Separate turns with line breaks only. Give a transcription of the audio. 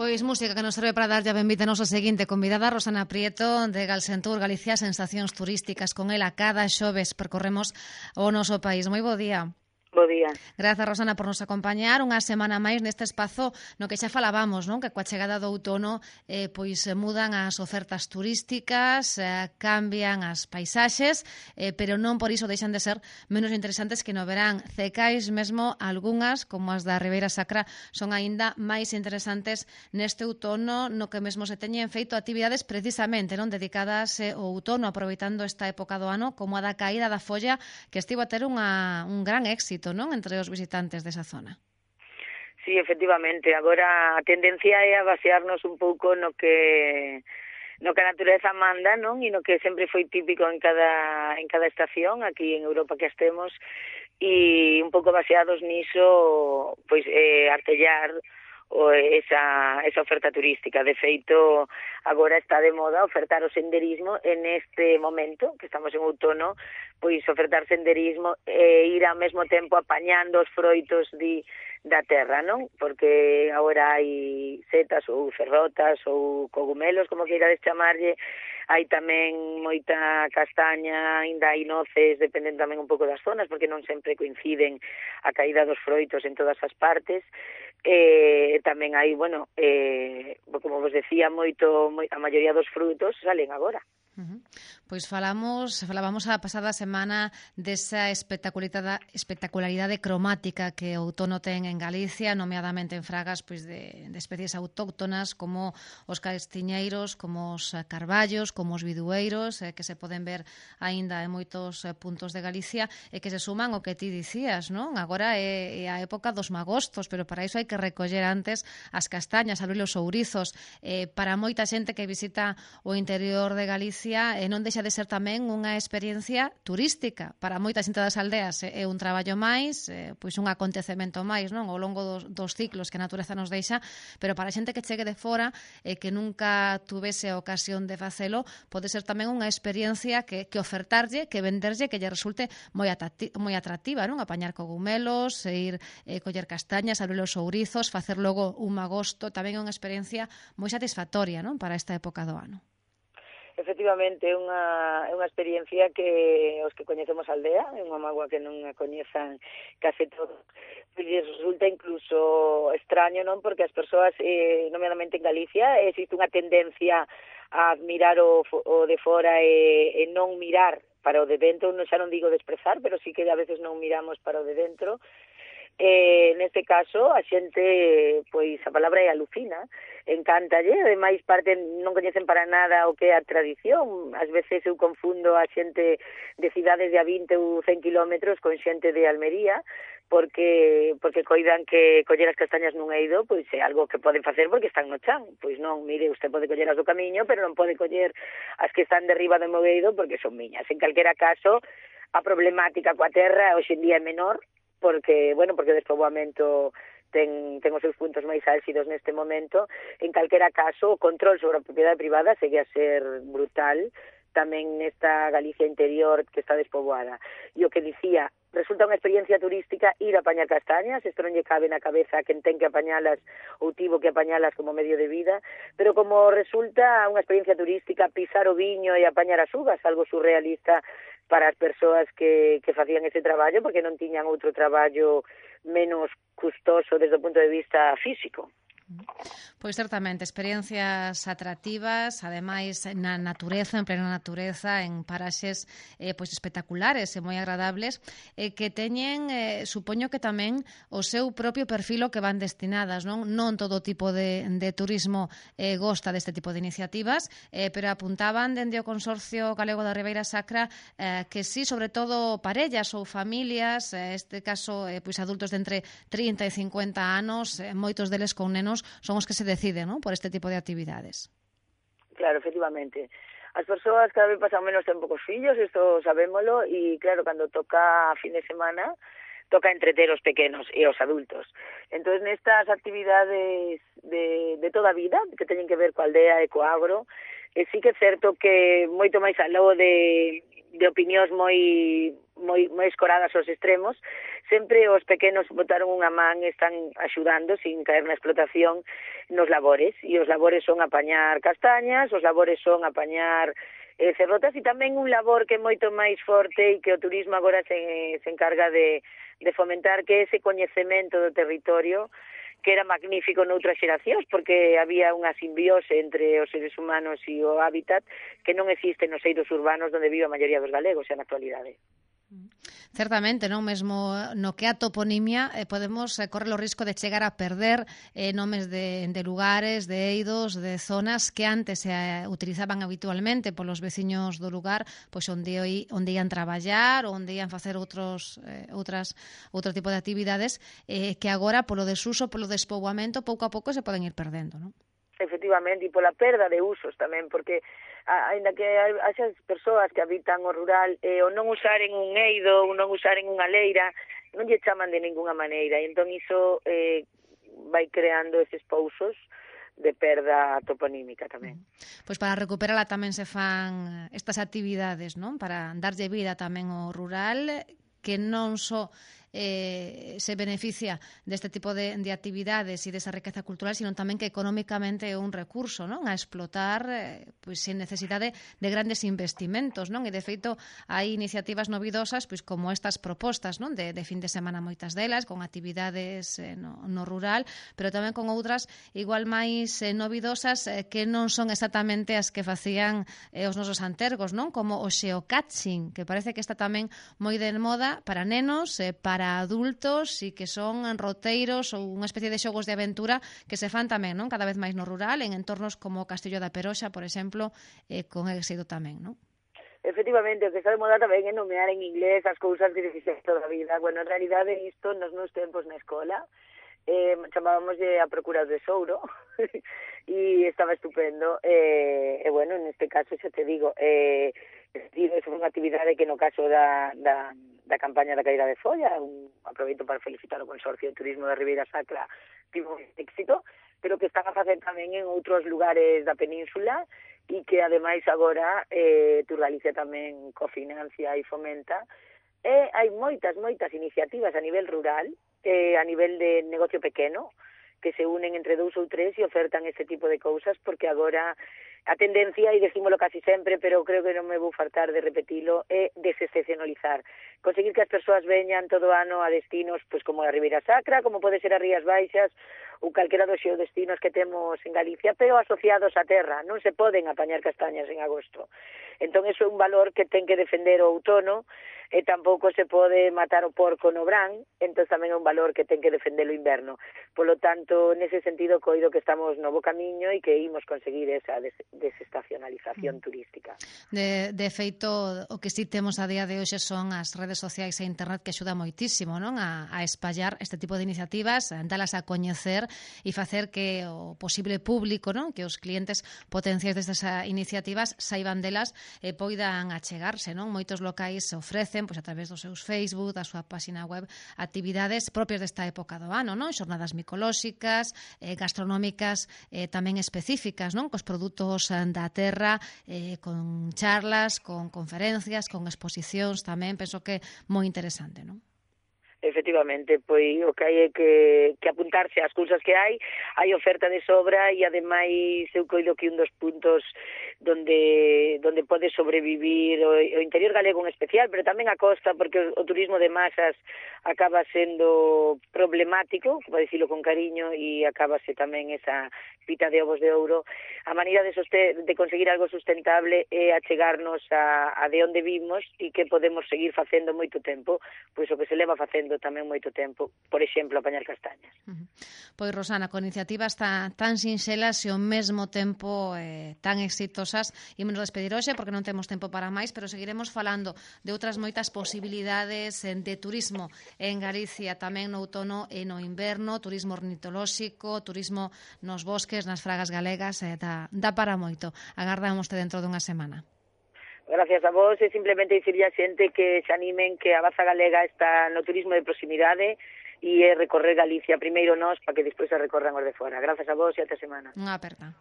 Pois música que nos serve para darlle a benvida a nosa seguinte convidada, Rosana Prieto, de Galsentur, Galicia, sensacións turísticas. Con ela cada xoves percorremos o noso país. Moi bo día.
Bo día.
Grazas, Rosana, por nos acompañar unha semana máis neste espazo no que xa falábamos, non? Que coa chegada do outono pois mudan as ofertas turísticas, cambian as paisaxes, pero non por iso deixan de ser menos interesantes que no verán. Cecais mesmo algunhas, como as da Ribeira Sacra, son aínda máis interesantes neste outono, no que mesmo se teñen feito actividades precisamente non dedicadas ao outono, aproveitando esta época do ano, como a da caída da folla, que estivo a ter un gran éxito, non, entre os visitantes desa zona.
Sí, efectivamente. Agora a tendencia é a basearnos un pouco no que a natureza manda, non? E no que sempre foi típico en cada estación aquí en Europa que estemos, e un pouco baseados niso, pois artellar esa oferta turística. De feito, agora está de moda ofertar o senderismo en este momento, que estamos en outono, pois ofertar senderismo e ir ao mesmo tempo apañando os froitos da terra, non? Porque agora hai setas ou ferrotas ou cogumelos, como queirades chamarlle, hai tamén moita castaña, ainda hai noces, dependen tamén un pouco das zonas, porque non sempre coinciden a caída dos froitos en todas as partes. Tamén hai, como vos decía, a maioría dos frutos salen agora.
Pois falábamos a pasada semana desa espectacularidade cromática que o outono ten en Galicia, nomeadamente en fragas pois de especies autóctonas como os castiñeiros, como os carballos, como os bidueiros, que se poden ver aínda en moitos puntos de Galicia e que se suman o que ti dicías, non? Agora é a época dos magostos, pero para iso hai que recoller antes as castañas, abrir os ourizos. Para moita xente que visita o interior de Galicia non deixa de ser tamén unha experiencia turística. Para moita xente das aldeas é un traballo máis, pois un acontecemento máis, non? Ao longo dos ciclos que a natureza nos deixa, pero para a xente que chegue de fora e que nunca tuvese a ocasión de facelo, pode ser tamén unha experiencia que ofertarlle, que venderlle, que lle resulte moi atractiva, non? Apañar cogumelos, ir coller castañas, abrir os ourizos, facer logo un magosto, tamén é unha experiencia moi satisfactoria, non? Para esta época do ano.
Efectivamente, é unha experiencia que os que coñecemos a aldea, é unha mágoa que non a coñezan case todos, pois resulta incluso extraño, non? Porque as persoas, nomeadamente en Galicia, existe unha tendencia a mirar o de fora e non mirar para o de dentro, xa non digo desprezar, pero sí que a veces non miramos para o de dentro. Neste caso, a xente, pois a palabra é alucina, encántalle, ademais parte non coñecen para nada o que é a tradición. Ás veces eu confundo a xente de cidades de a 20 ou 100 kilómetros con xente de Almería, porque coidan que coller as castañas nun eido pois é algo que poden facer porque están no chan. Pois non, mire, usted pode coller as do camiño, pero non pode coller as que están derriba do meu eido porque son miñas. En calquera caso, a problemática coa terra hoxe en día é menor, porque o despoboamento ten os seus puntos máis álxidos neste momento. En calquera caso, o control sobre a propiedade privada segue a ser brutal, tamén nesta Galicia interior que está despoboada. E o que dicía, resulta unha experiencia turística ir a apañar castañas, isto non lle cabe na cabeza a quen ten que apañalas ou tivo que apañalas como medio de vida, pero como resulta unha experiencia turística pisar o viño e apañar as uvas, algo surrealista para as persoas que facían ese traballo, porque non tiñan outro traballo menos custoso desde o punto de vista físico.
Pois certamente, experiencias atractivas, ademais na natureza, en plena natureza, en paraxes pois espectaculares e moi agradables, que teñen, supoño que tamén o seu propio perfil que van destinadas, non todo tipo de turismo gosta deste tipo de iniciativas, pero apuntaban dende o Consorcio Galego da Ribeira Sacra que sí, sobre todo parellas ou familias, este caso pois adultos de entre 30 e 50 anos, moitos deles con nenos, son os que se deciden, ¿no?, por este tipo de actividades.
Claro, efectivamente. As persoas cada vez pasan menos tempo cos fillos, isto sabémolo, e claro, cando toca a fin de semana, toca entreter os pequenos e os adultos. Entón, nestas actividades de toda a vida, que teñen que ver coa aldea e co agro, sí que é certo que moito máis aló de opinións moi moi escoradas aos extremos, sempre os pequenos botaron unha man, están axudando sin caer na explotación nos labores, e os labores son apañar castañas, os labores son apañar cerrotas, e tamén un labor que é moito máis forte e que o turismo agora se encarga de fomentar, que ese coñecemento do territorio, que era magnífico noutras xeracións, porque había unha simbiose entre os seres humanos e o hábitat que non existe nos eidos urbanos onde vive a maioría dos galegos xa na actualidade.
Certamente, non mesmo no que a toponimia podemos correr o risco de chegar a perder nomes de lugares, de eidos, de zonas que antes se utilizaban habitualmente polos veciños do lugar, pois onde ian traballar, onde ian facer outro tipo de actividades que agora polo desuso, polo despoboamento, pouco a pouco se poden ir perdendo, non?
Efectivamente, e pola perda de usos tamén, porque aínda que haxas persoas que habitan o rural, o non usaren un eido, ou non usaren unha leira, non lle chaman de ninguna maneira, e entón iso vai creando eses pousos de perda toponímica tamén.
Pois para recuperala tamén se fan estas actividades, non? Para darlle vida tamén ao rural, que non só se beneficia deste tipo de actividades e desa riqueza cultural, sino tamén que económicamente é un recurso, non, a explotar pois sen necesidade de grandes investimentos, non? E de feito hai iniciativas novidosas, pois como estas propostas, non, de fin de semana, moitas delas con actividades no rural, pero tamén con outras igual máis novidosas que non son exactamente as que facían os nosos antergos, non? Como o geocaching, que parece que está tamén moi de moda para nenos, para adultos, e que son roteiros ou unha especie de xogos de aventura que se fan tamén, non, cada vez máis no rural, en entornos como o Castillo da Peroxa, por exemplo, con éxito tamén, non?
Efectivamente, o que está de moda tamén é nomear en inglés as cousas que fixes toda a vida. Bueno, en realidade isto nos meus tempos na escola chamábamoslle a Procura do Tesouro e estaba estupendo, e bueno, neste caso xa te digo, foi unha actividade que no caso da campaña da caída de folla, aproveito para felicitar o Consorcio de Turismo da Ribeira Sacra, tivo un éxito, pero que están a facer tamén en outros lugares da península, e que ademais agora Turgalicia tamén cofinancia e fomenta, e hai moitas iniciativas a nivel rural, a nivel de negocio pequeno, que se unen entre 2 ou 3 e ofertan este tipo de cousas, porque agora a tendencia, e decímolo casi sempre, pero creo que non me vou fartar de repetilo, é desexcepcionalizar. Conseguir que as persoas veñan todo ano a destinos pois como a Ribeira Sacra, como pode ser as Rías Baixas, ou calquera dos xeodestinos que temos en Galicia, pero asociados á terra. Non se poden apañar castañas en agosto. Entón, iso é un valor que ten que defender o outono, e tampouco se pode matar o porco no brán, entón tamén é un valor que ten que defender o inverno. Polo tanto, nese sentido, coido que estamos no bo camiño e que imos conseguir esa desestacionalización turística.
De feito, o que sí temos a día de hoxe son as redes sociais e internet, que axuda moitísimo, non, a espallar este tipo de iniciativas, dalas a coñecer e facer que o posible público, non, que os clientes potenciais destas iniciativas saiban delas e poidan achegarse, non? Moitos locais se ofrecen pois a través dos seus Facebook, da súa páxina web, actividades propias desta época do ano, non? Xornadas micolóxicas, gastronómicas, tamén específicas, non? Cos produtos da terra, con charlas, con conferencias, con exposicións tamén, penso que é moi interesante, non?
Efectivamente, pois o que hai é que apuntarse ás cousas que hai oferta de sobra, e ademais eu coido que un dos puntos donde pode sobrevivir o interior galego en especial, pero tamén a costa, porque o turismo de masas acaba sendo problemático, para dicilo con cariño, e acabase tamén esa pita de ovos de ouro. A maneira de conseguir algo sustentable é achegarnos a de onde vimos e que podemos seguir facendo moito tempo, pois o que se leva facendo tamén moito tempo, por exemplo, apañar castañas.
Pois, Rosana, con iniciativas tan sinxelas e ao mesmo tempo tan exitosas, ímonos despedir hoxe porque non temos tempo para máis, pero seguiremos falando de outras moitas posibilidades de turismo en Galicia, tamén no outono e no inverno, turismo ornitolóxico, turismo nos bosques, nas fragas galegas, dá para moito. Agardámoste dentro dunha semana.
Gracias a vos, e simplemente dicirlle a xente que se animen, que a Baza Galega está no turismo de proximidade e é recorrer Galicia primeiro nós para que despois se recorran os de fora. Gracias a vos e ata semana.
Unha aperta.